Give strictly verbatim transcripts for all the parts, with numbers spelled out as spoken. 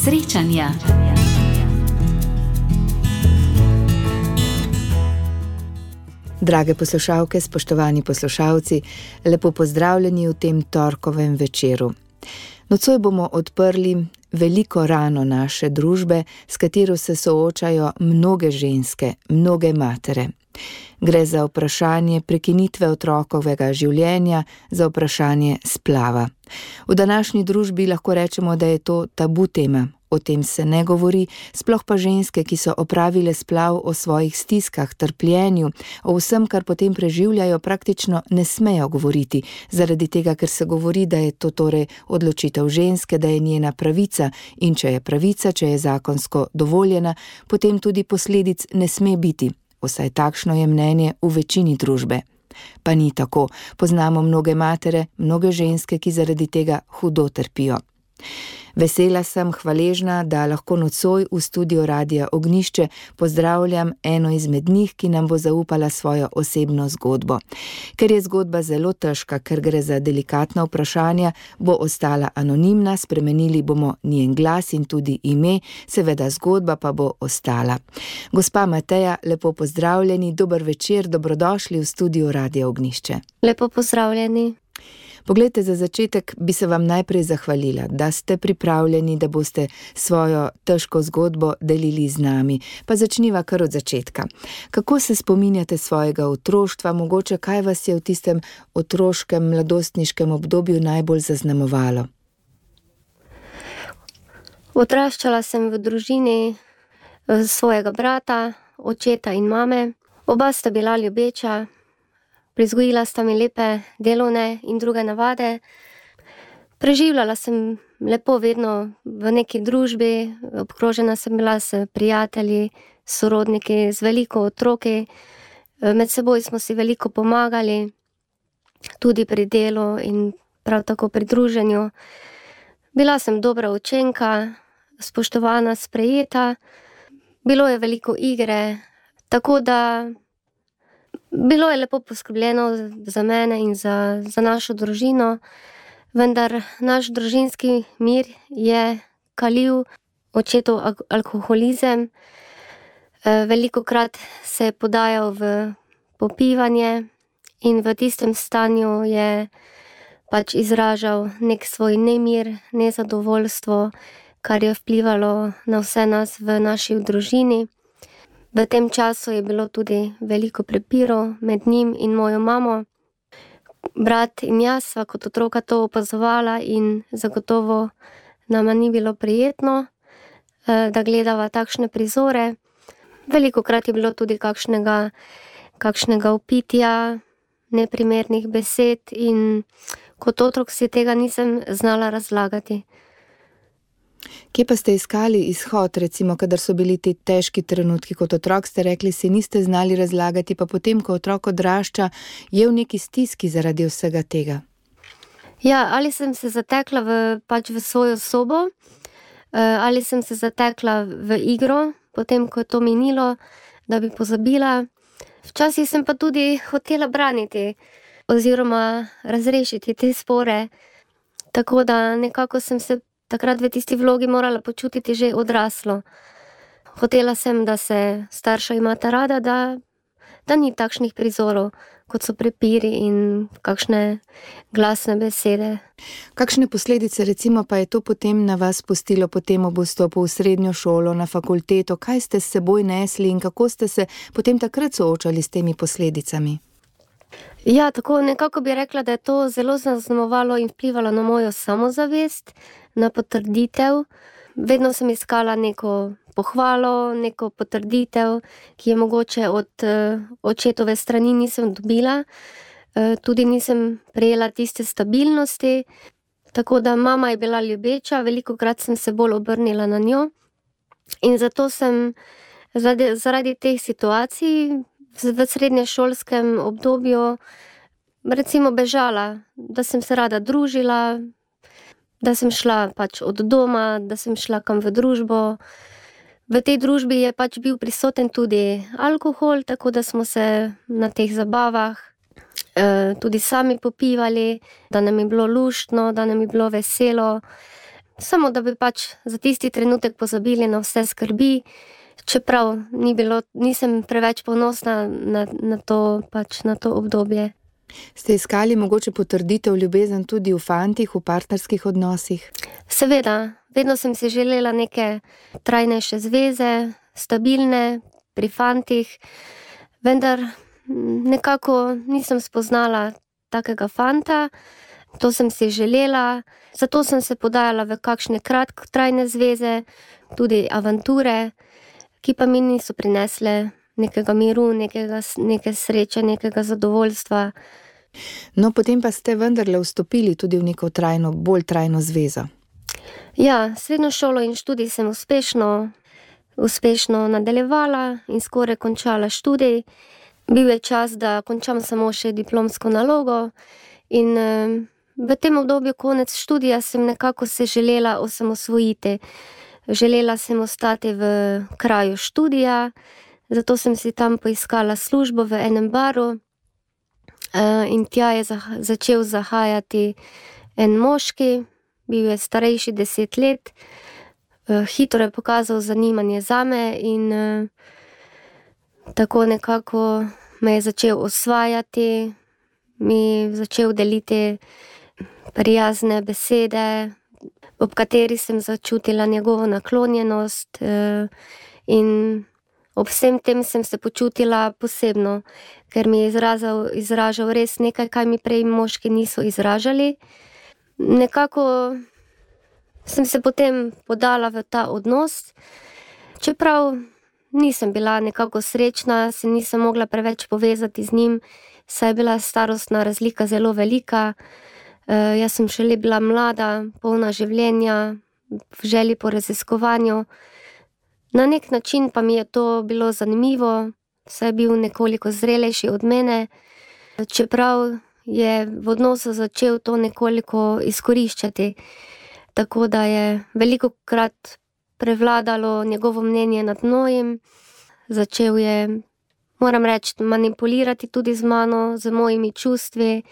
Srečanja. Drage poslušalke, spoštovani poslušalci, lepo pozdravljeni v tem torkovem večeru. Nocoj bomo odprli veliko rano naše družbe, s katero se soočajo mnoge ženske, mnoge matere. Gre za vprašanje prekinitve otrokovega življenja, za vprašanje splava. V današnji družbi lahko rečemo, da je to tabu tema. O tem se ne govori, sploh pa ženske, ki so opravile splav, o svojih stiskah, trpljenju, o vsem, kar potem preživljajo, praktično ne smejo govoriti, zaradi tega, ker se govori, da je to torej odločitev ženske, da je njena pravica, in če je pravica, če je zakonsko dovoljena, potem tudi posledic ne sme biti. Vsaj takšno je mnenje v večini družbe. Pa ni tako. Poznamo mnoge matere, mnoge ženske, ki zaradi tega hudo trpijo. Vesela sem, hvaležna, da lahko nocoj v studiu Radia Ognjišče pozdravljam eno izmed njih, ki nam bo zaupala svojo osebno zgodbo. Ker je zgodba zelo težka, ker gre za delikatna vprašanja, bo ostala anonimna, spremenili bomo njen glas in tudi ime, seveda zgodba pa bo ostala. Gospa Mateja, lepo pozdravljeni, dober večer, dobrodošli v studiu Radia Ognjišče. Lepo pozdravljeni. Poglejte, za začetek bi se vam najprej zahvalila, da ste pripravljeni, da boste svojo težko zgodbo delili z nami. Pa začniva kar od začetka. Kako se spominjate svojega otroštva, mogoče kaj vas je v tistem otroškem, mladostniškem obdobju najbolj zaznamovalo? Odraščala sem v družini svojega brata, očeta in mame. Oba sta bila ljubeča. Prizgojila sta mi lepe delovne in druge navade. Preživljala sem lepo vedno v neki družbi, obkrožena sem bila s prijatelji, sorodniki, z veliko otroki. Med seboj smo si veliko pomagali, tudi pri delu in prav tako pri druženju. Bila sem dobra učenka, spoštovana, sprejeta. Bilo je veliko igre, tako da bilo je lepo poskrbljeno za mene in za, za našo družino, vendar naš družinski mir je kalil očetov alkoholizem. Velikokrat se je podajal v popivanje in v tistem stanju je pač izražal nek svoj nemir, nezadovoljstvo, kar je vplivalo na vse nas v naši družini. V tem času je bilo tudi veliko prepirov med njim in mojo mamo. Brat in jaz sva kot otroka to opazovala in zagotovo nama ni bilo prijetno, da gledava takšne prizore. Velikokrat je bilo tudi kakšnega, kakšnega vpitja, neprimernih besed in kot otrok si tega nisem znala razlagati. Kje pa ste iskali izhod, recimo, kadar so bili ti težki trenutki kot otrok, ste rekli, si niste znali razlagati, pa potem, ko otrok odrašča, je v neki stiski zaradi vsega tega? Ja, ali sem se zatekla v, pač v svojo sobo, ali sem se zatekla v igro, potem, ko je to minilo, da bi pozabila. Včasih sem pa tudi hotela braniti oziroma razrešiti te spore, tako da nekako sem se takrat v tisti vlogi morala počutiti že odraslo. Hotela sem, da se starša imata rada, da, da ni takšnih prizorov, kot so prepiri in kakšne glasne besede. Kakšne posledice recimo pa je to potem na vas pustilo potem ob vstopu v srednjo šolo, na fakulteto? Kaj ste s seboj nesli in kako ste se potem takrat soočali s temi posledicami? Ja, tako nekako bi rekla, da je to zelo zaznamovalo in vplivalo na mojo samozavest, na potrditev. Vedno sem iskala neko pohvalo, neko potrditev, ki je mogoče od očetove strani nisem dobila. Tudi nisem prejela tiste stabilnosti, tako da mama je bila ljubeča, velikokrat sem se bolj obrnila na njo. In zato sem zaradi, zaradi teh situacij v srednješolskem obdobju recimo bežala, da sem se rada družila, da sem šla pač od doma, da sem šla kam v družbo. V tej družbi je pač bil prisoten tudi alkohol, tako da smo se na teh zabavah eh, tudi sami popivali, da nam je bilo luštno, da nam je bilo veselo. samo da bi pač za tisti trenutek pozabili na vse skrbi, čeprav ni bilo, nisem preveč ponosna na, na, to, pač na to obdobje. Ste iskali mogoče potrditev ljubezen tudi v fantih, v partnerskih odnosih? Seveda, vedno sem si želela neke trajnejše zveze, stabilne, pri fantih, vendar nekako nisem spoznala takega fanta, to sem si želela, zato sem se podajala v kakšne kratkotrajne zveze, tudi avanture, ki pa mi niso prinesle nekega miru, nekega, neke sreče, nekega zadovoljstva. No, potem pa ste vendarle vstopili tudi v neko trajno, bolj trajno zvezo. Ja, srednjo šolo in študij sem uspešno, uspešno nadaljevala in skoraj končala študij. Bil je čas, da končam samo še diplomsko nalogo in v tem obdobju konec študija sem nekako se želela osamosvojiti. Želela sem ostati v kraju študija, zato sem si tam poiskala službo v enem baru in tja je začel zahajati en moški, bil je starejši deset let, hitro je pokazal zanimanje zame in tako nekako me je začel osvajati, mi začel deliti prijazne besede, ob kateri sem začutila njegovo naklonjenost in ob vsem tem sem se počutila posebno, ker mi je izrazal, izražal res nekaj, kaj mi prej moški niso izražali. Nekako sem se potem podala v ta odnos, čeprav nisem bila nekako srečna, se nisem mogla preveč povezati z njim, saj je bila starostna razlika zelo velika. Uh, jaz sem šele bila mlada, polna življenja, v želji po raziskovanju. Na nek način pa mi je to bilo zanimivo, saj je bil nekoliko zrelejši od mene, čeprav je v odnosu začel to nekoliko izkoriščati. Tako da je velikokrat prevladalo njegovo mnenje nad mojim, začel je, moram reči, manipulirati tudi z mano, z mojimi čustvi,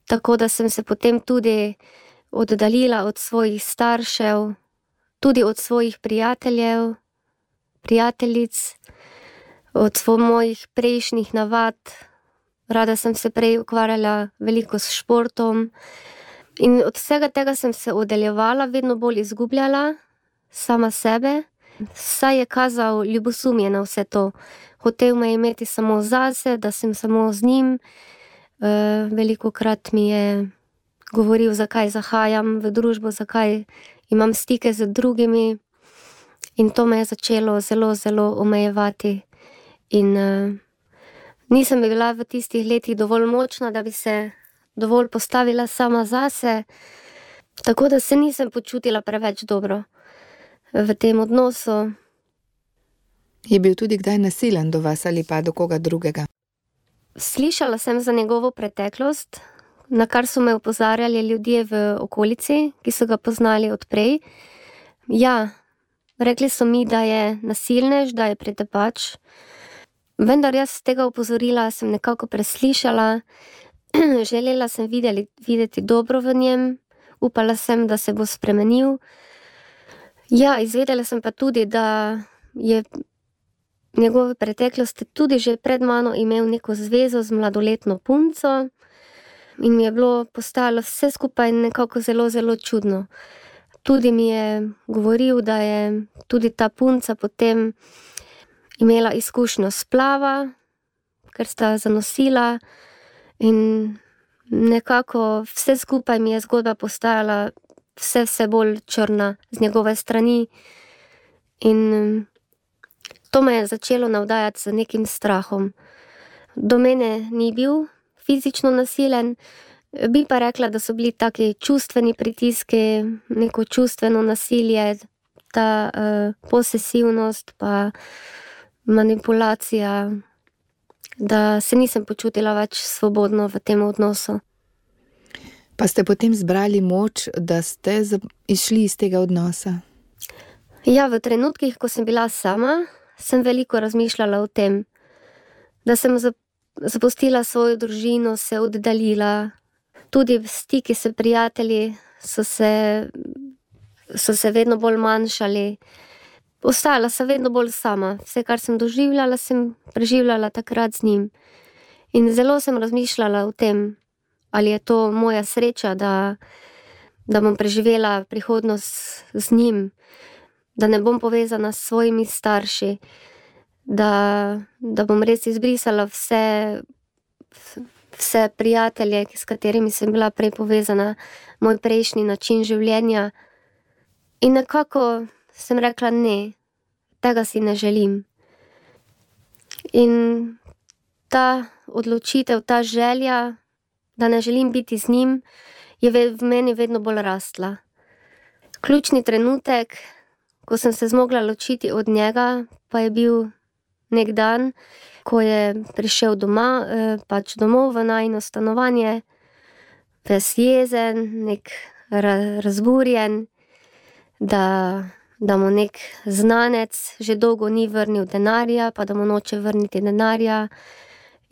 tako da sem se potem tudi oddaljila od svojih staršev, tudi od svojih prijateljev, prijateljic, od svojih mojih prejšnjih navad. Rada sem se prej ukvarjala veliko s športom in od vsega tega sem se oddaljevala, vedno bolj izgubljala sama sebe, saj je kazal ljubosumje na vse to. Hotel me imeti samo zase, da sem samo z njim. Uh, velikokrat mi je govoril, zakaj zahajam v družbo, zakaj imam stike z drugimi in to me je začelo zelo, zelo omejevati. In uh, nisem bila v tistih letih dovolj močna, da bi se dovolj postavila sama zase, tako da se nisem počutila preveč dobro v tem odnosu. Je bil tudi kdaj nasilen do vas ali pa do koga drugega? Slišala sem za njegovo preteklost, na kar so me opozarjali ljudje v okolici, ki so ga poznali odprej. Ja, rekli so mi, da je nasilnež, da je pretepač, vendar jaz tega opozorila sem nekako preslišala. Želela sem videli, videti dobro v njem, upala sem, da se bo spremenil. Ja, izvedela sem pa tudi, da je njegove preteklosti tudi že pred mano imel neko zvezo z mladoletno punco in mi je bilo postalo vse skupaj nekako zelo, zelo čudno. Tudi mi je govoril, da je tudi ta punca potem imela izkušnjo splava, ker sta zanosila in nekako vse skupaj mi je zgodba postajala vse, vse bolj črna z njegove strani in to me je začelo navdajati z nekim strahom. Do mene ni bil fizično nasilen, bi pa rekla, da so bili taki čustveni pritiski, neko čustveno nasilje, ta uh, posesivnost pa manipulacija, da se nisem počutila več svobodno v tem odnosu. Pa ste potem zbrali moč, da ste išli iz tega odnosa? Ja, v trenutkih, ko sem bila sama, sem veliko razmišljala o tem, da sem zapustila svojo družino, se oddaljila. Tudi v stiki s prijatelji so se so se vedno bolj manjšali. Ostajala sem vedno bolj sama. Vse, kar sem doživljala, sem preživljala takrat z njim. In zelo sem razmišljala o tem, ali je to moja sreča, da, da bom preživela prihodnost z njim, da ne bom povezana s svojimi starši, da, da bom res izbrisala vse, vse prijatelje, s katerimi sem bila prej povezana, moj prejšnji način življenja. In nekako sem rekla ne, tega si ne želim. In ta odločitev, ta želja, da ne želim biti z njim, je v meni vedno bolj rastla. Ključni trenutek, ko sem se zmogla ločiti od njega, pa je bil nek dan, ko je prišel doma, pač domov v najino stanovanje, ves jezen, nek razburjen, da, da mu nek znanec že dolgo ni vrnil denarja, pa da mu noče vrniti denarja,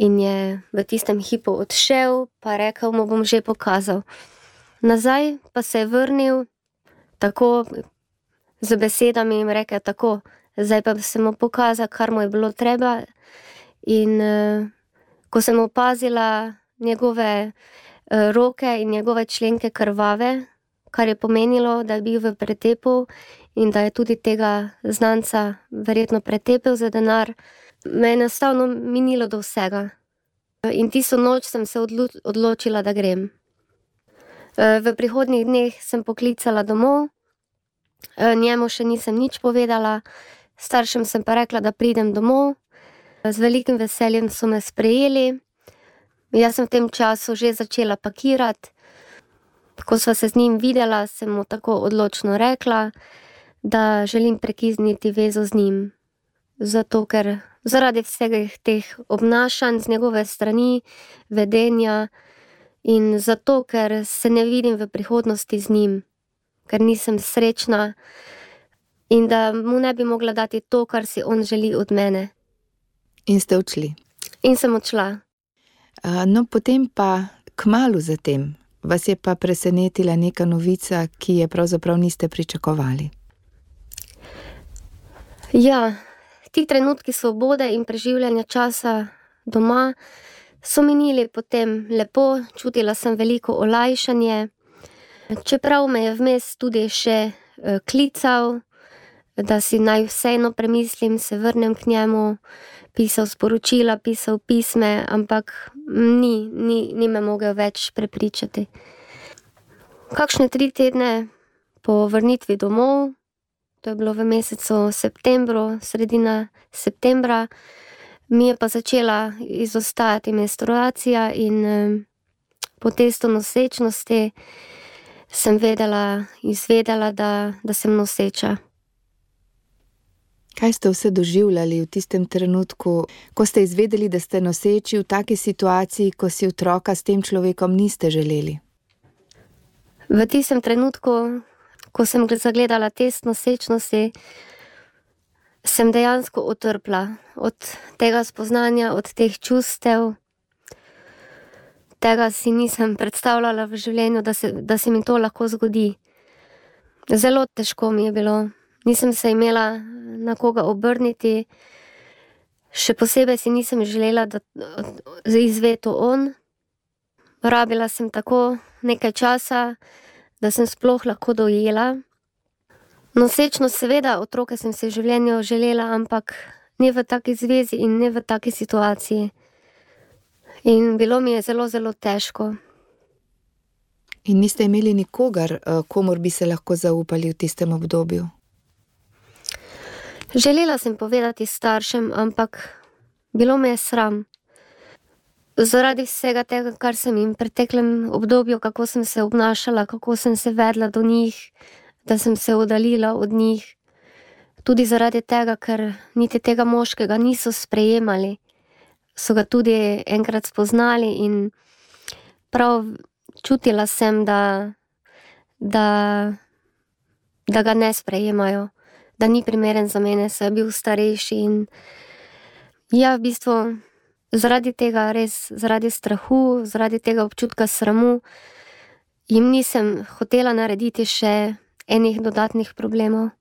in je v tistem hipu odšel, pa rekel, mu bom že pokazal. Nazaj pa se je vrnil tako z besedami in rekel tako, zdaj pa sem mu pokazal, kar mu je bilo treba. In uh, ko sem opazila njegove uh, roke in njegove členke krvave, kar je pomenilo, da je bil v pretepu in da je tudi tega znanca verjetno pretepel za denar, me je enostavno minilo do vsega. In tisto noč sem se odlo- odločila, da grem. V prihodnjih dneh sem poklicala domov, njemu še nisem nič povedala, staršem sem pa rekla, da pridem domov. Z velikim veseljem so me sprejeli. Jaz sem v tem času že začela pakirati. Ko sva se z njim videla, sem mu tako odločno rekla, da želim prekizniti vezo z njim. Zato, ker zaradi vseh teh obnašanj z njegove strani, vedenja, in zato, ker se ne vidim v prihodnosti z njim, ker nisem srečna in da mu ne bi mogla dati to, kar si on želi od mene. In ste odšli? In sem odšla. Uh, no, potem pa kmalu zatem vas je pa presenetila neka novica, ki je pravzaprav niste pričakovali. Ja, ti trenutki svobode in preživljanja časa doma so minili potem lepo, čutila sem veliko olajšanje. Čeprav me je vmes tudi še klical, da si naj vseeno premislim, se vrnem k njemu, pisal sporočila, pisal pisme, ampak ni, ni, ni me mogel več prepričati. Kakšne tri tedne po vrnitvi domov, to je bilo v mesecu septembru, sredina septembra, mi je pa začela izostajati menstruacija in eh, po testu nosečnosti sem vedela, izvedela, da, da sem noseča. Kaj ste vse doživljali v tistem trenutku, ko ste izvedeli, da ste noseči v taki situaciji, ko si otroka s tem človekom niste želeli? V tistem trenutku, ko sem zagledala test nosečnosti, sem dejansko utrpla od tega spoznanja, od teh čustev. Tega si nisem predstavljala v življenju, da se, da se mi to lahko zgodi. Zelo težko mi je bilo. Nisem se imela na koga obrniti. Še posebej si nisem želela, da izve to on. Rabila sem tako nekaj časa, da sem sploh lahko dojela. Nosečnost, seveda, otroke sem si v življenju želela, ampak ne v taki zvezi in ne v taki situaciji. In bilo mi je zelo, zelo težko. In niste imeli nikogar, komur bi se lahko zaupali v tistem obdobju? Želela sem povedati staršem, ampak bilo me je sram. Zaradi vsega tega, kar sem jim v preteklem obdobju, kako sem se obnašala, kako sem se vedla do njih, da sem se oddaljila od njih. Tudi zaradi tega, ker niti tega moškega niso sprejemali. So ga tudi enkrat spoznali in prav čutila sem, da, da, da ga ne sprejemajo, da ni primeren za mene, saj je bil starejši. In ja, v bistvu zaradi tega, res zaradi strahu, zaradi tega občutka sramu, jim nisem hotela narediti še enih dodatnih problemov.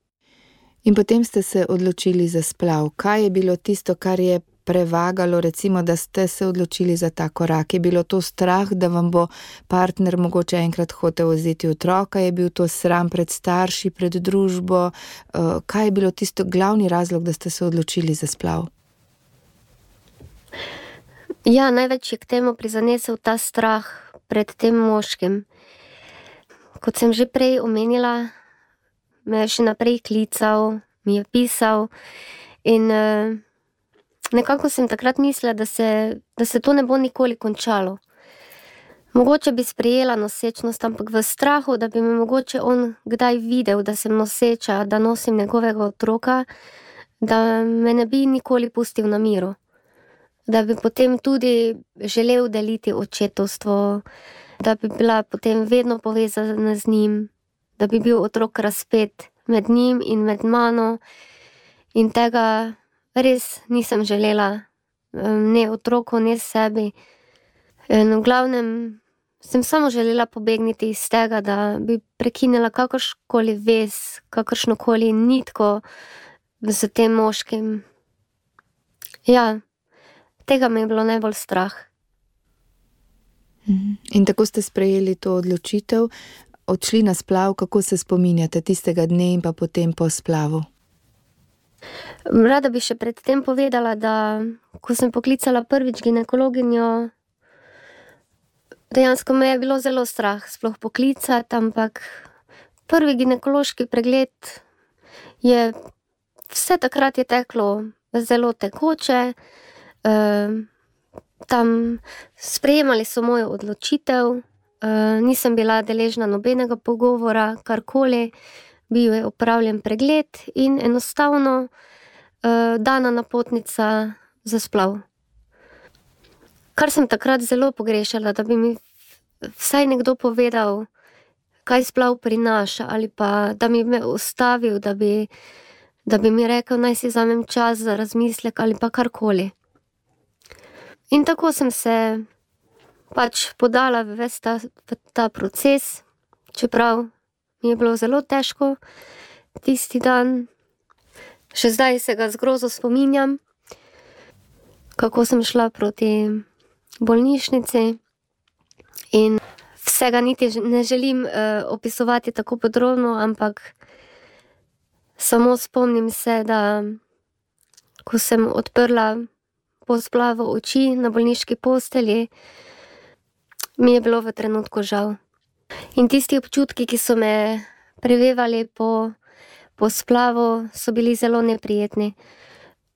In potem ste se odločili za splav. Kaj je bilo tisto, kar je prevagalo, recimo, da ste se odločili za ta korak? Je bilo to strah, da vam bo partner mogoče enkrat hotel vzeti otroka? Je bil to sram pred starši, pred družbo? Kaj je bilo tisto glavni razlog, da ste se odločili za splav? Ja, največ je k temu prizanesel ta strah pred tem moškim. Kot sem že prej omenila, me je še naprej klical, mi je pisal in uh, nekako sem takrat mislila, da se, da se to ne bo nikoli končalo. Mogoče bi sprejela nosečnost, ampak v strahu, da bi me mogoče on kdaj videl, da sem noseča, da nosim njegovega otroka, da me ne bi nikoli pustil na miru. Da bi potem tudi želel deliti očetovstvo, da bi bila potem vedno povezana z njim, da bi bil otrok razpet med njim in med mano. In tega res nisem želela, ne otroku, ne sebi. In v glavnem sem samo želela pobegniti iz tega, da bi prekinila kakršnokoli vez, kakršnokoli nitko z tem moškim. Ja, tega mi je bilo najbolj strah. In tako ste sprejeli to odločitev, odšli na splav. Kako se spominjate tistega dne in pa potem po splavu? Rada bi še pred tem povedala, da ko sem poklicala prvič ginekologinjo, dejansko me je bilo zelo strah sploh poklicati, ampak prvi ginekološki pregled je, vse takrat je teklo zelo tekoče. Uh, tam sprejemali so mojo odločitev, uh, nisem bila deležna nobenega pogovora, karkoli, bil je opravljen pregled in enostavno uh, dana napotnica za splav. Kar sem takrat zelo pogrešala, da bi mi vsaj nekdo povedal, kaj splav prinaša, ali pa da mi me ustavil, da bi, da bi mi rekel, naj si vzamem čas za razmislek ali pa karkoli. In tako sem se pač podala v ves ta, v ta proces, čeprav mi je bilo zelo težko tisti dan. Še zdaj se ga z grozo spominjam, kako sem šla proti bolnišnici in vsega niti ne želim uh, opisovati tako podrobno, ampak samo spomnim se, da ko sem odprla po splavu oči na bolniški postelji, mi je bilo v trenutku žal. In tisti občutki, ki so me prevevali po, po splavu, so bili zelo neprijetni.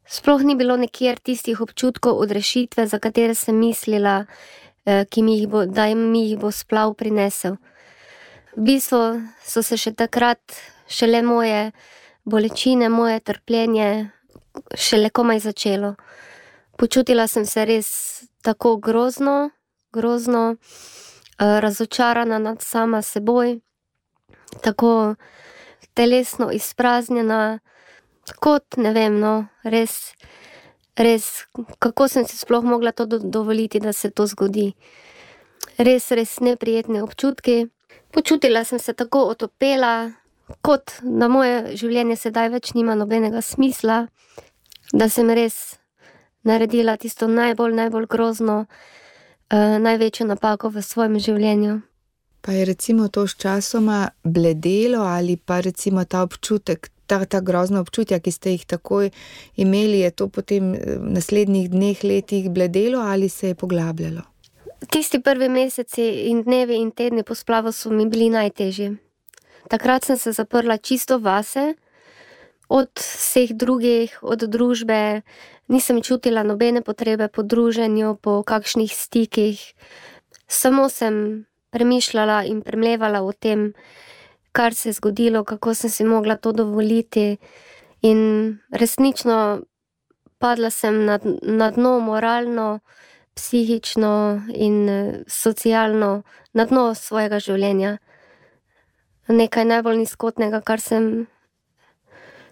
Sploh ni bilo nikjer tistih občutkov odrešitve, za katere sem mislila, ki mi jih bo, da mi jih bo splav prinesel. V bistvu so se še takrat šele moje bolečine, moje trpljenje šele komaj začelo. Počutila sem se res tako grozno, grozno, razočarana nad sama seboj, tako telesno izpraznjena, kot ne vem, no, res, res, kako sem si sploh mogla to dovoliti, da se to zgodi. Res, res neprijetni občutki. Počutila sem se tako otopela, kot da moje življenje sedaj več nima nobenega smisla, da sem res naredila tisto najbolj, najbolj grozno, uh, največjo napako v svojem življenju. Pa je recimo to sčasoma bledelo ali pa recimo ta občutek, ta, ta grozna občutja, ki ste jih takoj imeli, je to potem v naslednjih dneh, letih bledelo ali se je poglabljalo? Tisti prvi meseci in dnevi in tedni po splavu so mi bili najtežji. Takrat sem se zaprla čisto vase, od vseh drugih, od družbe, nisem čutila nobene potrebe po druženju, po kakšnih stikih. Samo sem premišljala in premlevala o tem, kar se je zgodilo, kako sem si mogla to dovoliti. In resnično padla sem na, na dno moralno, psihično in socialno, na dno svojega življenja. Nekaj najbolj nizkotnega, kar sem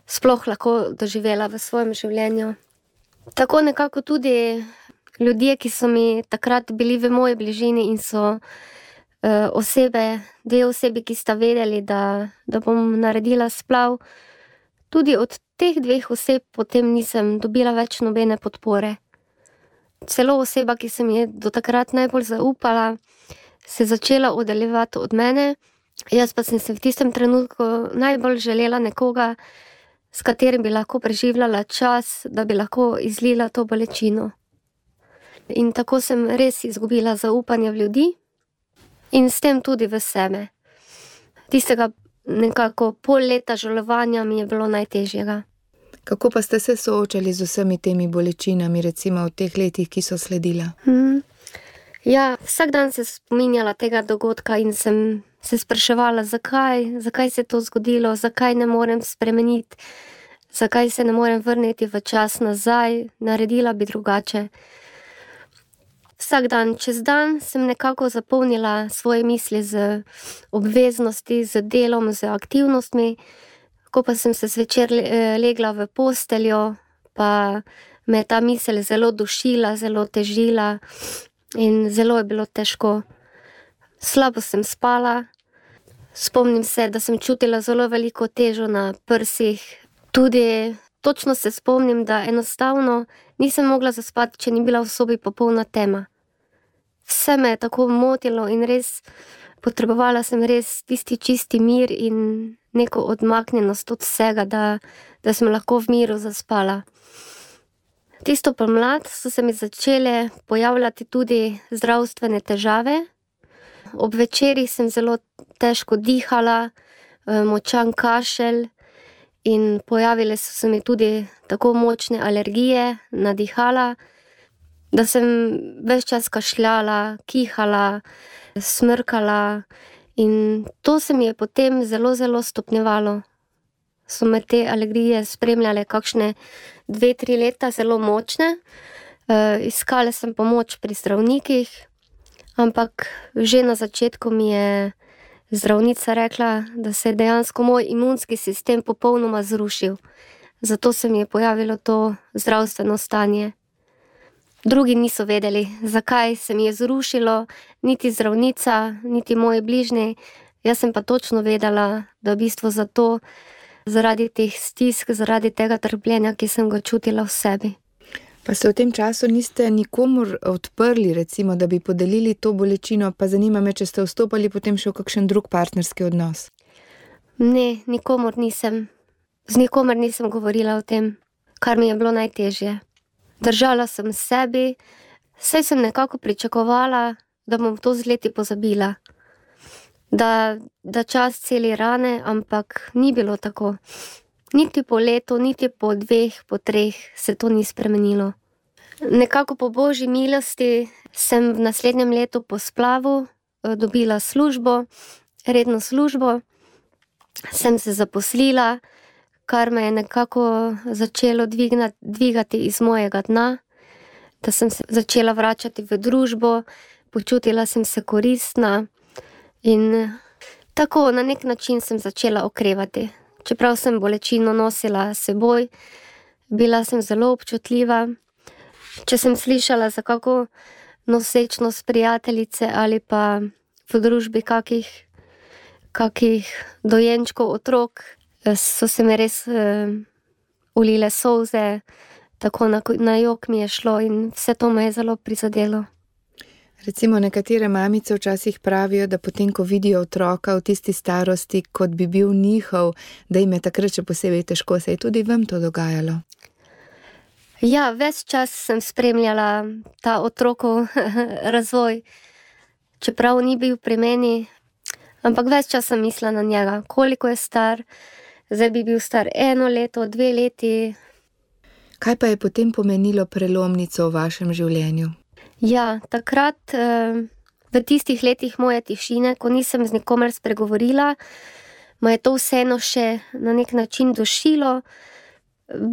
sploh lahko doživela v svojem življenju. Tako nekako tudi ljudje, ki so mi takrat bili v moji bližini in so osebe, dve osebi, ki sta vedeli, da, da bom naredila splav. Tudi od teh dveh oseb potem nisem dobila več nobene podpore. Celo oseba, ki sem je do takrat najbolj zaupala, se je začela oddaljevati od mene. Jaz pa sem se v tistem trenutku najbolj želela nekoga, s katerim bi lahko preživljala čas, da bi lahko izlila to bolečino. In tako sem res izgubila zaupanje v ljudi in s tem tudi v sebe. Tistega nekako pol leta žalovanja mi je bilo najtežjega. Kako pa ste se soočali z vsemi temi bolečinami, recimo v teh letih, ki so sledila? Hmm. Ja, vsak dan se spominjala tega dogodka in sem se spraševala, zakaj, zakaj se je to zgodilo, zakaj ne morem spremeniti, zakaj se ne morem vrniti v čas nazaj, naredila bi drugače. Vsak dan, čez dan sem nekako zapolnila svoje misli z obveznosti, z delom, z aktivnostmi. Ko pa sem se zvečer legla v posteljo, pa me je ta misel zelo dušila, zelo težila in zelo je bilo težko. Slabo sem spala, spomnim se, da sem čutila zelo veliko težo na prsih. Tudi točno se spomnim, da enostavno nisem mogla zaspati, če ni bila v sobi popolna tema. Vse me je tako motilo in res potrebovala sem res tisti čisti mir in neko odmaknjenost od vsega, da, da sem lahko v miru zaspala. Tisto pomlad so se mi začele pojavljati tudi zdravstvene težave. Ob večerih sem zelo težko dihala, močan kašelj in pojavile so se mi tudi tako močne alergije na dihala, da sem ves čas kašljala, kihala, smrkala in to se mi je potem zelo, zelo stopnjevalo. So me te alergije spremljale kakšne dve, tri leta, zelo močne. E, iskala sem pomoč pri zdravnikih, ampak že na začetku mi je zdravnica rekla, da se je dejansko moj imunski sistem popolnoma zrušil. Zato se mi je pojavilo to zdravstveno stanje. Drugi niso vedeli, zakaj se mi je zrušilo, niti zdravnica, niti moji bližnji. Jaz sem pa točno vedela, da v bistvu zato, zaradi teh stisk, zaradi tega trpljenja, ki sem ga čutila v sebi. Pa se v tem času niste nikomur odprli, recimo, da bi podelili to bolečino, pa zanima me, če ste vstopali potem še v kakšen drug partnerski odnos? Ne, nikomur nisem. Z nikomer nisem govorila o tem, kar mi je bilo najtežje. Držala sem sebi, saj sem nekako pričakovala, da bom to z leti pozabila. Da, da čas celi rane, ampak ni bilo tako. Niti po letu, niti po dveh, po treh se to ni spremenilo. Nekako po božji milosti sem v naslednjem letu po splavu dobila službo, redno službo, sem se zaposlila, kar me je nekako začelo dvignati, dvigati iz mojega dna, da sem se začela vračati v družbo, počutila sem se koristna in tako na nek način sem začela okrevati. Čeprav sem bolečino nosila s seboj, bila sem zelo občutljiva. Če sem slišala za kako nosečnost prijateljice ali pa v družbi kakih, kakih dojenčkov otrok, so se mi res uh, ulile solze, tako na, na jok mi je šlo in vse to me je zelo prizadelo. Recimo nekatere mamice včasih pravijo, da potem, ko vidijo otroka v tisti starosti, kot bi bil njihov, da jim je takrat še posebej težko. Se je tudi vam to dogajalo? Ja, ves čas sem spremljala ta otrokov razvoj, čeprav ni bil pri meni, ampak ves čas sem mislila na njega, koliko je star, zdaj bi bil star eno leto, dve leti. Kaj pa je potem pomenilo prelomnico v vašem življenju? Ja, takrat v tistih letih moje tišine, ko nisem z nikomer spregovorila, me je to vseeno še na nek način dušilo.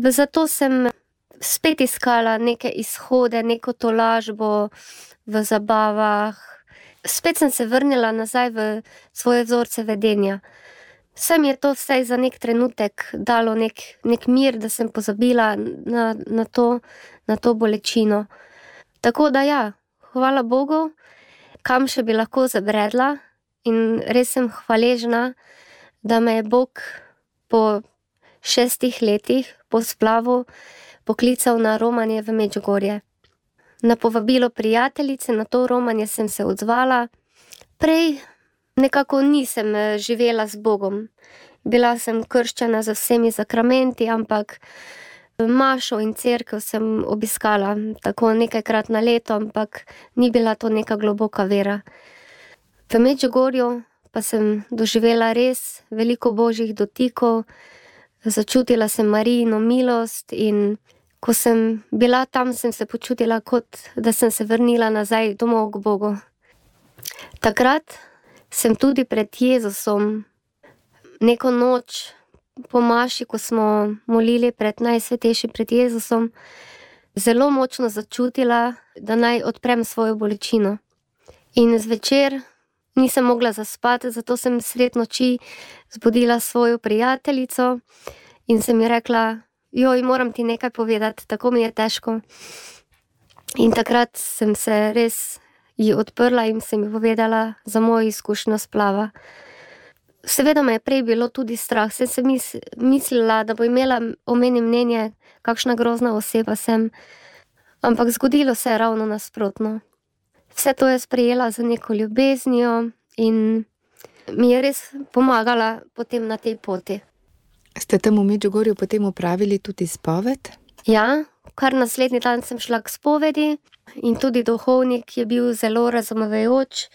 Zato sem spet iskala neke izhode, neko tolažbo v zabavah. Spet sem se vrnila nazaj v svoje vzorce vedenja. Vse mi je to vsaj za nek trenutek dalo nek, nek mir, da sem pozabila na, na, to, na to bolečino. Tako da ja, hvala Bogu, kam še bi lahko zabredla, in res sem hvaležna, da me je Bog po šestih letih po splavu poklical na romanje v Medžugorje. Na povabilo prijateljice na to romanje sem se odzvala. Prej nekako nisem živela z Bogom. Bila sem krščena z vsemi sakramenti, ampak mašo in cerkev sem obiskala tako nekajkrat na leto, ampak ni bila to neka globoka vera. V Medžugorju pa sem doživela res veliko božjih dotikov, začutila sem Marijino milost in ko sem bila tam, sem se počutila, kot da sem se vrnila nazaj domov k Bogu. Takrat sem tudi pred Jezusom neko noč po maši, ko smo molili pred najsvetejšim pred Jezusom, zelo močno začutila, da naj odprem svojo bolečino. In zvečer nisem mogla zaspati, zato sem sred noči zbudila svojo prijateljico in sem ji rekla: joj, moram ti nekaj povedati, tako mi je težko. In takrat sem se res ji odprla in sem ji povedala za mojo izkušnjo splava. Seveda me je prej bilo tudi strah, sem se mislila, da bo imela o meni mnenje, kakšna grozna oseba sem, ampak zgodilo se je ravno nasprotno. Vse to je sprejela z neko ljubeznijo in mi je res pomagala potem na tej poti. Ste tam v Medžugorju potem opravili tudi spoved? Ja, kar naslednji dan sem šla k spovedi in tudi duhovnik je bil zelo razumevajoč,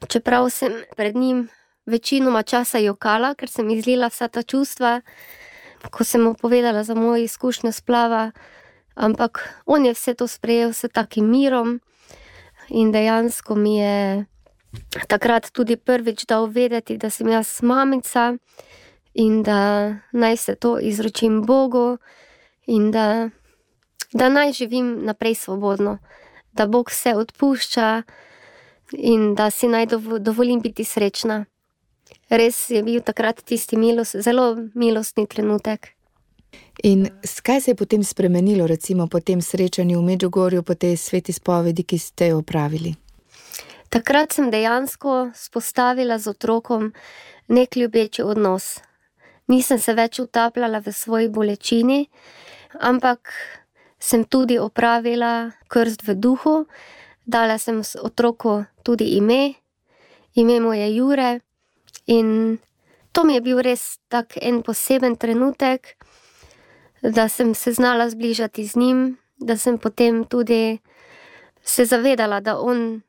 čeprav sem pred njim večinoma časa jokala, ker sem izlila vsa ta čustva, ko sem mu povedala za mojo izkušnjo splava, ampak on je vse to sprejel s takim mirom in dejansko mi je takrat tudi prvič dal vedeti, da sem jaz mamica in da naj se to izročim Bogu in da, da naj živim naprej svobodno, da Bog vse odpušča in da si naj dovolim biti srečna. Res je bil takrat tisti milost, zelo milostni trenutek. In kaj se je potem spremenilo, recimo po tem srečanju v Medžugorju, po tej sveti spovedi, ki ste jo opravili? Takrat sem dejansko spostavila z otrokom nek ljubeči odnos. Nisem se več utapljala v svoji bolečini, ampak sem tudi opravila krst v duhu, dala sem otroku tudi ime, ime mu je Jure. In to mi je bil res tak en poseben trenutek, da sem se znala zbližati z njim, da sem potem tudi se zavedala, da on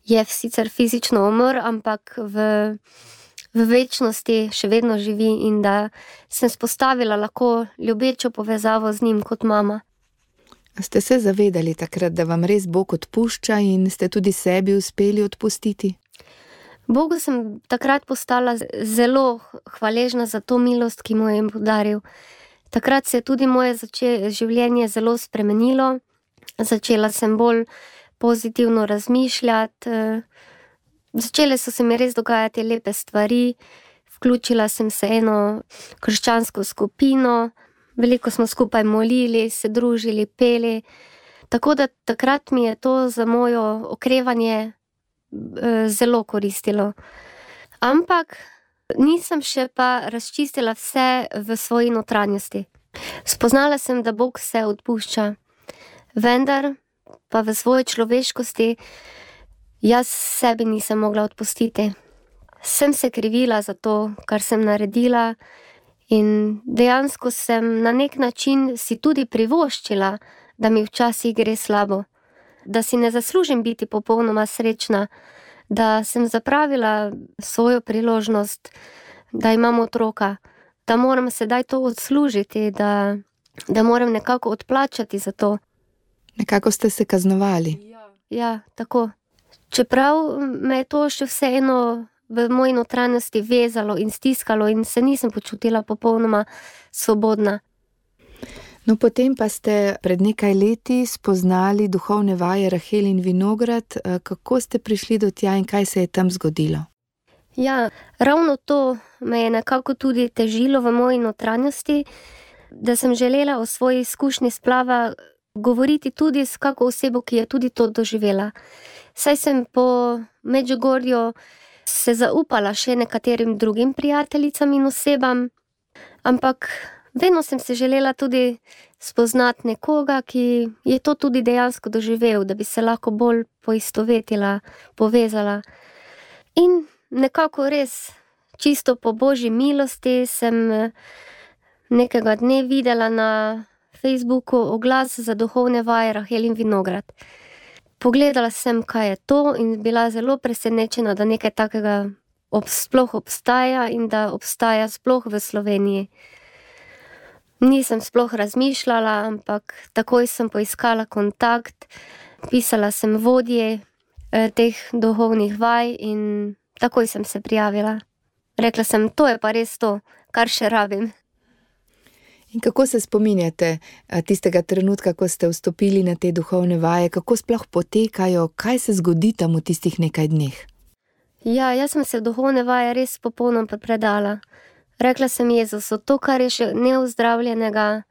je sicer fizično umrl, ampak v, v večnosti še vedno živi in da sem spostavila lahko ljubečo povezavo z njim kot mama. Ste se zavedali takrat, da vam res Bog odpušča in ste tudi sebi uspeli odpustiti? Bogu sem takrat postala zelo hvaležna za to milost, ki mu je podaril. Takrat se je tudi moje življenje zelo spremenilo. Začela sem bolj pozitivno razmišljati. Začele so se mi res dogajati lepe stvari. Vključila sem se eno krščansko skupino. Veliko smo skupaj molili, se družili, peli. Tako da takrat mi je to za mojo okrevanje zelo koristilo. Ampak nisem še pa razčistila vse v svoji notranjosti. Spoznala sem, da Bog vse odpušča, vendar pa v svoji človeškosti jaz sebi nisem mogla odpustiti. Sem se krivila za to, kar sem naredila in dejansko sem na nek način si tudi privoščila, da mi včasih gre slabo. Da si ne zaslužim biti popolnoma srečna, da sem zapravila svojo priložnost, da imam otroka, da moram sedaj to odslužiti, da, da moram nekako odplačati za to. Nekako ste se kaznovali. Ja, tako. Čeprav me je to še vseeno v moji notranjosti vezalo in stiskalo in se nisem počutila popolnoma svobodna. No, potem pa ste pred nekaj leti spoznali duhovne vaje Rahel in Vinograd. Kako ste prišli do tja in kaj se je tam zgodilo? Ja, ravno to me je nekako tudi težilo v moji notranjosti, da sem želela o svoji izkušnji splava govoriti tudi s kako osebo, ki je tudi to doživela. Saj sem po Medžugorju se zaupala še nekaterim drugim prijateljicam in osebam, ampak vedno sem se želela tudi spoznati nekoga, ki je to tudi dejansko doživel, da bi se lahko bolj poistovetila, povezala. In nekako res, čisto po Božji milosti, sem nekega dne videla na Facebooku oglas za duhovne vaje Rahelin Vinograd. Pogledala sem, kaj je to, in bila zelo presenečena, da nekaj takega ob, sploh obstaja in da obstaja sploh v Sloveniji. Nisem sploh razmišljala, ampak takoj sem poiskala kontakt, pisala sem vodje eh, teh duhovnih vaj in takoj sem se prijavila. Rekla sem, to je pa res to, kar še rabim. In kako se spominjate tistega trenutka, ko ste vstopili na te duhovne vaje, kako sploh potekajo, kaj se zgodi tam v tistih nekaj dneh? Ja, jaz sem se v duhovne vaje res popolnoma predala. Rekla sem Jezusu, to, kar je še neozdravljenega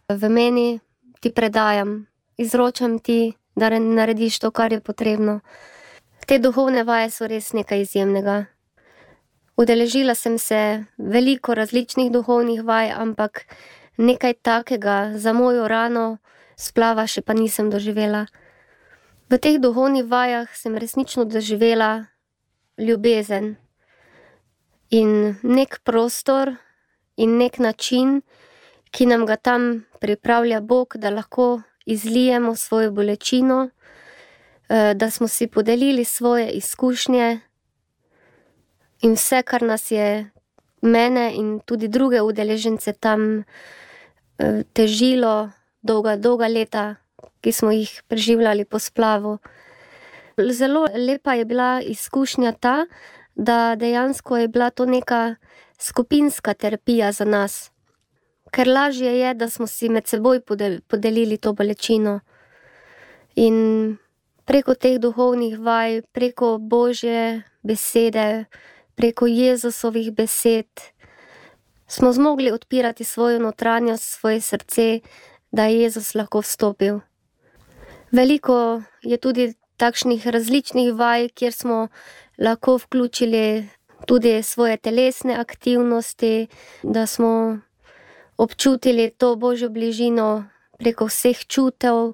v meni, ti predajam, izročam ti, da narediš to, kar je potrebno. Te duhovne vaje so res nekaj izjemnega. Udeležila sem se veliko različnih duhovnih vaj, ampak nekaj takega za mojo rano splava še pa nisem doživela. V teh duhovnih vajah sem resnično doživela ljubezen in nek prostor in nek način, ki nam ga tam pripravlja Bog, da lahko izlijemo svojo bolečino, da smo si podelili svoje izkušnje in vse, kar nas je mene in tudi druge udeležence tam težilo dolga, dolga leta, ki smo jih preživljali po splavu. Zelo lepa je bila izkušnja ta, da dejansko je bila to neka skupinska terapija za nas. Ker lažje je, da smo si med seboj podelili to bolečino. In preko teh duhovnih vaj, preko Božje besede, preko Jezusovih besed, smo zmogli odpirati svojo notranjost, svoje srce, da je Jezus lahko vstopil. Veliko je tudi takšnih različnih vaj, kjer smo lahko vključili tudi svoje telesne aktivnosti, da smo občutili to Božjo bližino preko vseh čutev,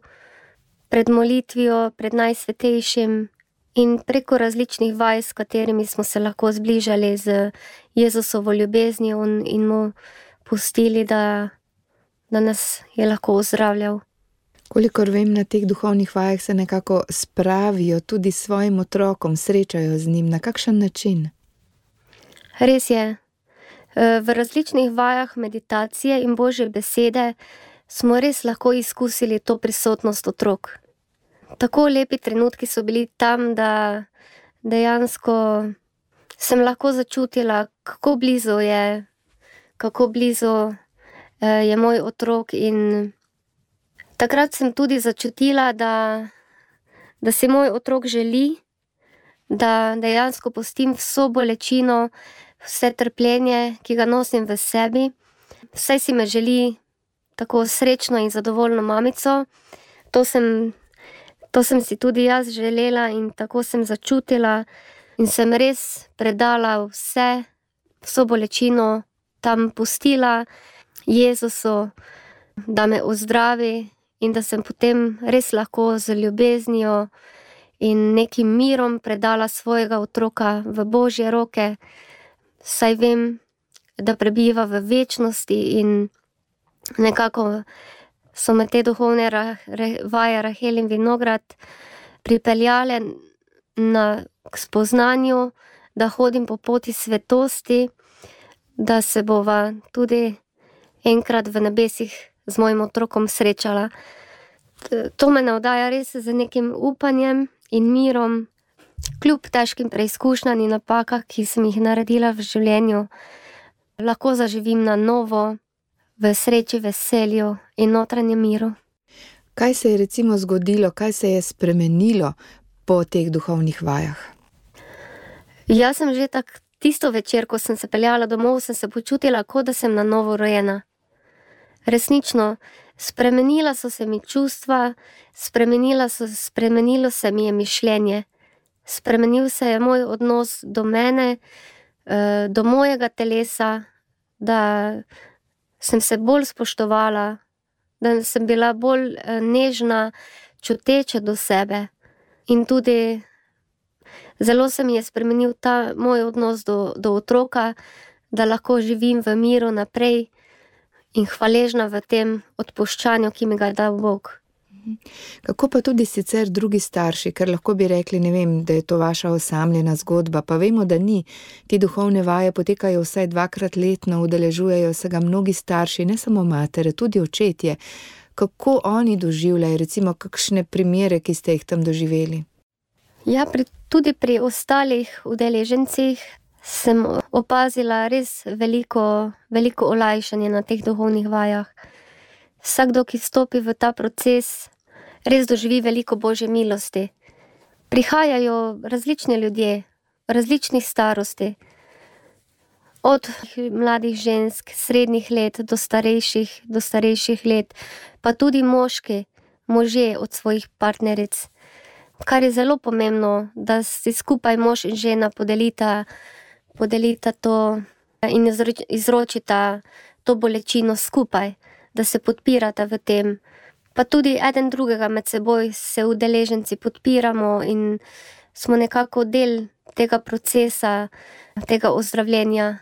pred molitvijo, pred Najsvetejšim in preko različnih vaj, s katerimi smo se lahko zbližali z Jezusovo ljubeznijo in mu pustili, da, da nas je lahko ozdravljal. Kolikor vem, na teh duhovnih vajah se nekako spravijo tudi svojim otrokom, srečajo z njim. Na kakšen način? Res je. V različnih vajah meditacije in Božje besede smo res lahko izkusili to prisotnost otrok. Tako lepi trenutki so bili tam, da dejansko sem lahko začutila, kako blizu je, kako blizu je moj otrok, in takrat sem tudi začutila, da, da si moj otrok želi, da dejansko pustim vso bolečino, vse trpljenje, ki ga nosim v sebi. Vse si me želi tako srečno in zadovoljno mamico. To sem To sem si tudi jaz želela in tako sem začutila in sem res predala vse, vso bolečino tam pustila Jezusu, da me ozdravi in da sem potem res lahko z ljubeznijo in nekim mirom predala svojega otroka v Božje roke, saj vem, da prebiva v večnosti, in nekako so me te duhovne vaje Rahelin Vinograd pripeljale na, k spoznanju, da hodim po poti svetosti, da se bova tudi enkrat v nebesih z mojim otrokom srečala. To me navdaja res z nekim upanjem in mirom, kljub težkim preizkušnjam in napakah, ki sem jih naredila v življenju. Lahko zaživim na novo, v sreči, veselju in notranjem miru. Kaj se je recimo zgodilo, kaj se je spremenilo po teh duhovnih vajah? Jaz sem že tak, tisto večer, ko sem se peljala domov, sem se počutila, kot da sem na novo rojena. Resnično, Spremenila so se mi čustva, spremenila so, spremenilo se mi je mišljenje. Spremenil se je moj odnos do mene, do mojega telesa, da sem se bolj spoštovala, da sem bila bolj nežna, čuteča do sebe. In tudi zelo se mi je spremenil ta moj odnos do, do otroka, da lahko živim v miru naprej in hvaležna v tem odpuščanju, ki mi ga je dal Bog. Kako pa tudi sicer drugi starši, ker lahko bi rekli, ne vem, da je to vaša osamljena zgodba, pa vemo, da ni. Ti duhovne vaje potekajo vsaj dvakrat letno, udeležujejo se ga mnogi starši, ne samo matere, tudi očetje. Kako oni doživljajo, recimo kakšne primere, ki ste jih tam doživeli? Ja, pri, tudi pri ostalih udeležencih sem opazila res veliko, veliko olajšanje na teh duhovnih vajah. Vsakdo, ki vstopi v ta proces, res doživi veliko Božje milosti. Prihajajo različni ljudje, različnih starosti, od mladih žensk, srednjih let do starejših, do starejših let, pa tudi moški, možje od svojih partneric. Kar je zelo pomembno, da si skupaj mož in žena podelita, podelita to in izročita to bolečino skupaj, da se podpirata v tem. Pa tudi eden drugega med seboj se udeleženci podpiramo in smo nekako del tega procesa, tega ozdravljenja.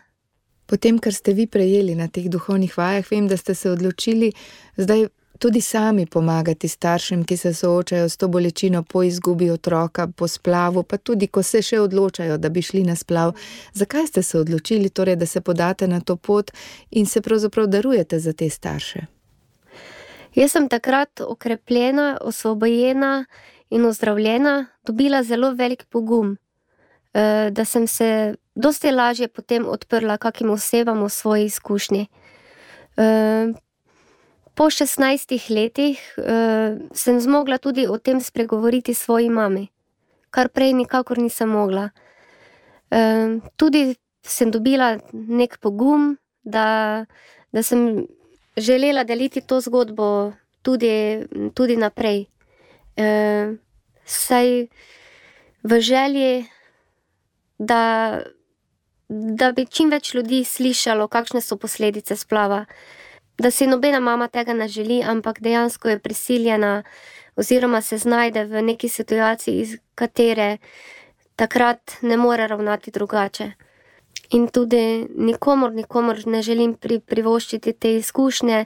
Potem, kar ste vi prejeli na teh duhovnih vajah, vem, da ste se odločili zdaj tudi sami pomagati staršem, ki se soočajo s to bolečino po izgubi otroka, po splavu, pa tudi, ko se še odločajo, da bi šli na splav. Zakaj ste se odločili, torej, da se podate na to pot in se pravzaprav darujete za te starše? Jaz sem takrat okrepljena, osvobojena in ozdravljena, dobila zelo velik pogum, da sem se dosti lažje potem odprla kakim osebam v svoji izkušnji. Po šestnajstih letih sem zmogla tudi o tem spregovoriti svoji mami, kar prej nikakor nisem mogla. Tudi sem dobila nek pogum, da, da sem želela deliti to zgodbo tudi, tudi naprej. E, saj v želji, da, da bi čim več ljudi slišalo, kakšne so posledice splava. Da si nobena mama tega ne želi, ampak dejansko je prisiljena oziroma se znajde v neki situaciji, iz katere takrat ne more ravnati drugače. In tudi nikomor, nikomor ne želim pri, privoščiti te izkušnje,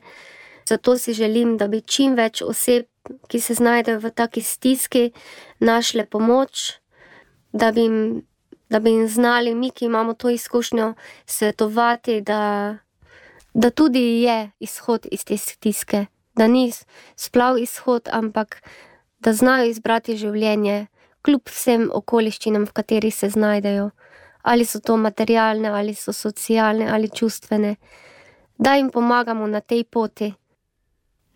zato si želim, da bi čim več oseb, ki se znajdejo v taki stiski, našle pomoč, da bi jim, da bi jim znali, mi, ki imamo to izkušnjo, svetovati, da, da tudi je izhod iz te stiske, da ni splav izhod, ampak da znajo izbrati življenje, kljub vsem okoliščinam, v katerih se znajdejo. Ali so to materialne, ali so socialne, ali čustvene, da jim pomagamo na tej poti.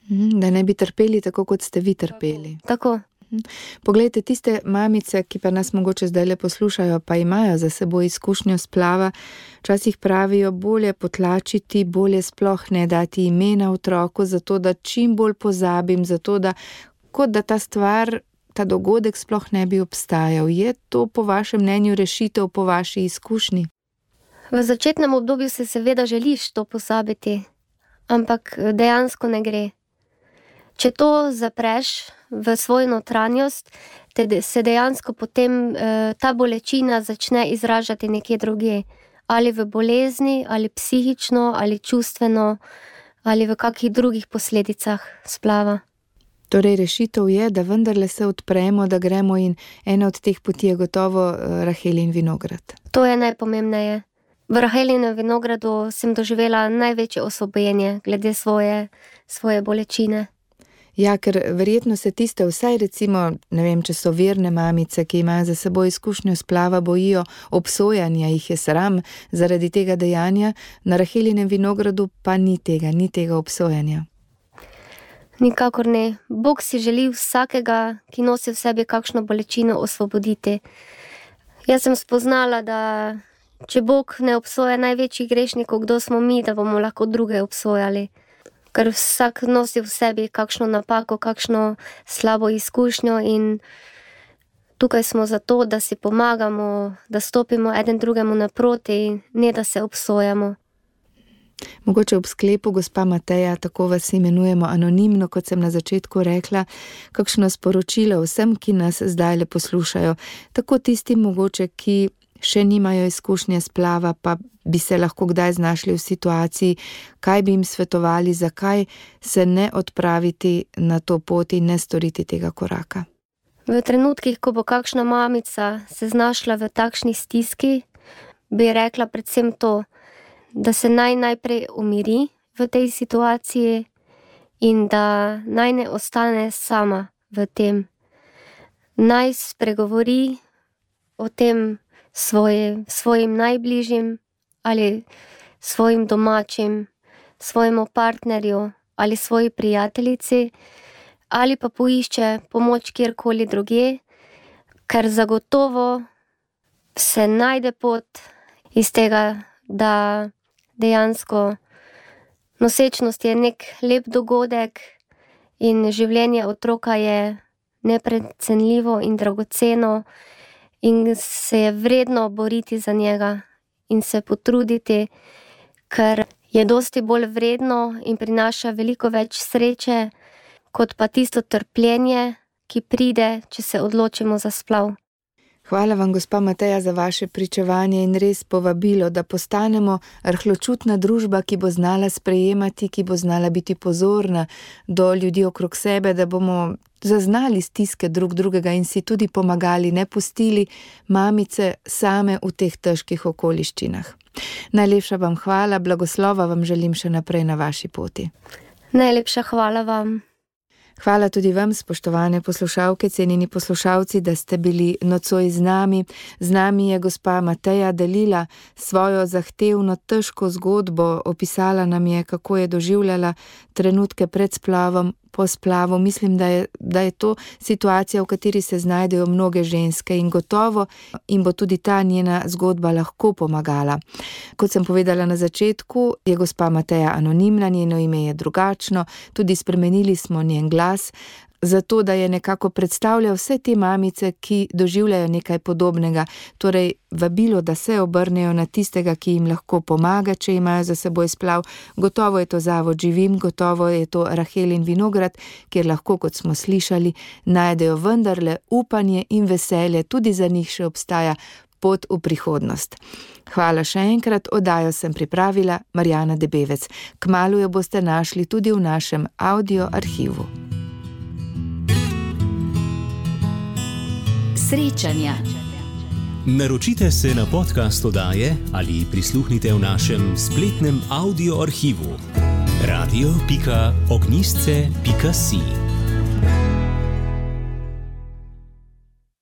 Da ne bi trpeli tako, kot ste vi trpeli. Tako. Poglejte, tiste mamice, ki pa nas mogoče zdaj le poslušajo, pa imajo za seboj izkušnjo splava, včasih pravijo, bolje potlačiti, bolje sploh ne dati imena otroku, zato da čim bolj pozabim, zato da, kot da ta stvar, ta dogodek sploh ne bi obstajal. Je to po vašem mnenju rešitev, po vaši izkušnji? V začetnem obdobju se seveda želiš to pozabiti, ampak dejansko ne gre. Če to zapreš v svojo notranjost, te se dejansko potem eh, ta bolečina začne izražati nekje drugje. Ali v bolezni, ali psihično, ali čustveno, ali v kakih drugih posledicah splava. Torej, rešitev je, da vendarle se odpremo, da gremo in ena od teh poti je gotovo Rahelin vinograd. To je najpomembneje. V Rahelinem vinogradu sem doživela največje osvobojenje glede svoje, svoje bolečine. Ja, ker verjetno se tiste vsaj recimo, ne vem, če so verne mamice, ki imajo za seboj izkušnjo splava, bojijo obsojanja, jih je sram zaradi tega dejanja, na Rahelinem vinogradu pa ni tega, ni tega obsojanja. Nikakor ne. Bog si želi vsakega, ki nosi v sebi kakšno bolečino, osvoboditi. Jaz sem spoznala, da če Bog ne obsoja največjih grešnikov, kdo smo mi, da bomo lahko druge obsojali. ker vsak nosi v sebi kakšno napako, kakšno slabo izkušnjo in tukaj smo zato, da si pomagamo, da stopimo eden drugemu naproti, ne da se obsojamo. Mogoče ob sklepu, gospa Mateja, tako vas imenujemo anonimno, kot sem na začetku rekla, kakšno sporočilo vsem, ki nas zdajle poslušajo, tako tistim mogoče, ki še nimajo izkušnje splava, pa bi se lahko kdaj znašli v situaciji, kaj bi jim svetovali, zakaj se ne odpraviti na to pot in ne storiti tega koraka. V trenutkih, ko bo kakšna mamica se znašla v takšni stiski, bi rekla predvsem to, da se naj najprej umiri v tej situaciji in da naj ne ostane sama v tem. Naj spregovori o tem svoje, svojim najbližjim ali svojim domačim, svojemu partnerju ali svoji prijateljici ali pa poišče pomoč kjerkoli drugje, ker zagotovo se najde pot iz tega, da dejansko nosečnost je nek lep dogodek in življenje otroka je neprecenljivo in dragoceno in se je vredno boriti za njega in se potruditi, ker je dosti bolj vredno in prinaša veliko več sreče, kot pa tisto trpljenje, ki pride, če se odločimo za splav. Hvala vam, gospa Mateja, za vaše pričevanje in res povabilo, da postanemo rahločutna družba, ki bo znala sprejemati, ki bo znala biti pozorna do ljudi okrog sebe, da bomo zaznali stiske drug drugega in si tudi pomagali, ne pustili mamice same v teh težkih okoliščinah. Najlepša vam hvala, blagoslova vam želim še naprej na vaši poti. Najlepša hvala vam. Hvala tudi vam, spoštovane poslušalke, cenjeni poslušalci, da ste bili nocoj z nami. Z nami je gospa Mateja delila svojo zahtevno, težko zgodbo, opisala nam je, kako je doživljala trenutke pred splavom, po splavu. Mislim, da je, da je to situacija, v kateri se znajdejo mnoge ženske in gotovo in bo tudi ta njena zgodba lahko pomagala. Kot sem povedala na začetku, je gospa Mateja anonimna, njeno ime je drugačno, tudi spremenili smo njen glas, zato da je nekako predstavljal vse te mamice, ki doživljajo nekaj podobnega, torej vabilo, da se obrnejo na tistega, ki jim lahko pomaga, če imajo za seboj splav. Gotovo je to Zavod Živim, gotovo je to Rahelin vinograd, kjer lahko, kot smo slišali, najdejo vendarle upanje in veselje, tudi za njih še obstaja pot v prihodnost. Hvala še enkrat, oddajo sem pripravila Marjana Debevec. Kmalu jo boste našli tudi v našem audio arhivu. Srečanja. Naročite se na podcast oddaje ali prisluhnite v našem spletnem audio arhivu radio pika ognjisce pika si.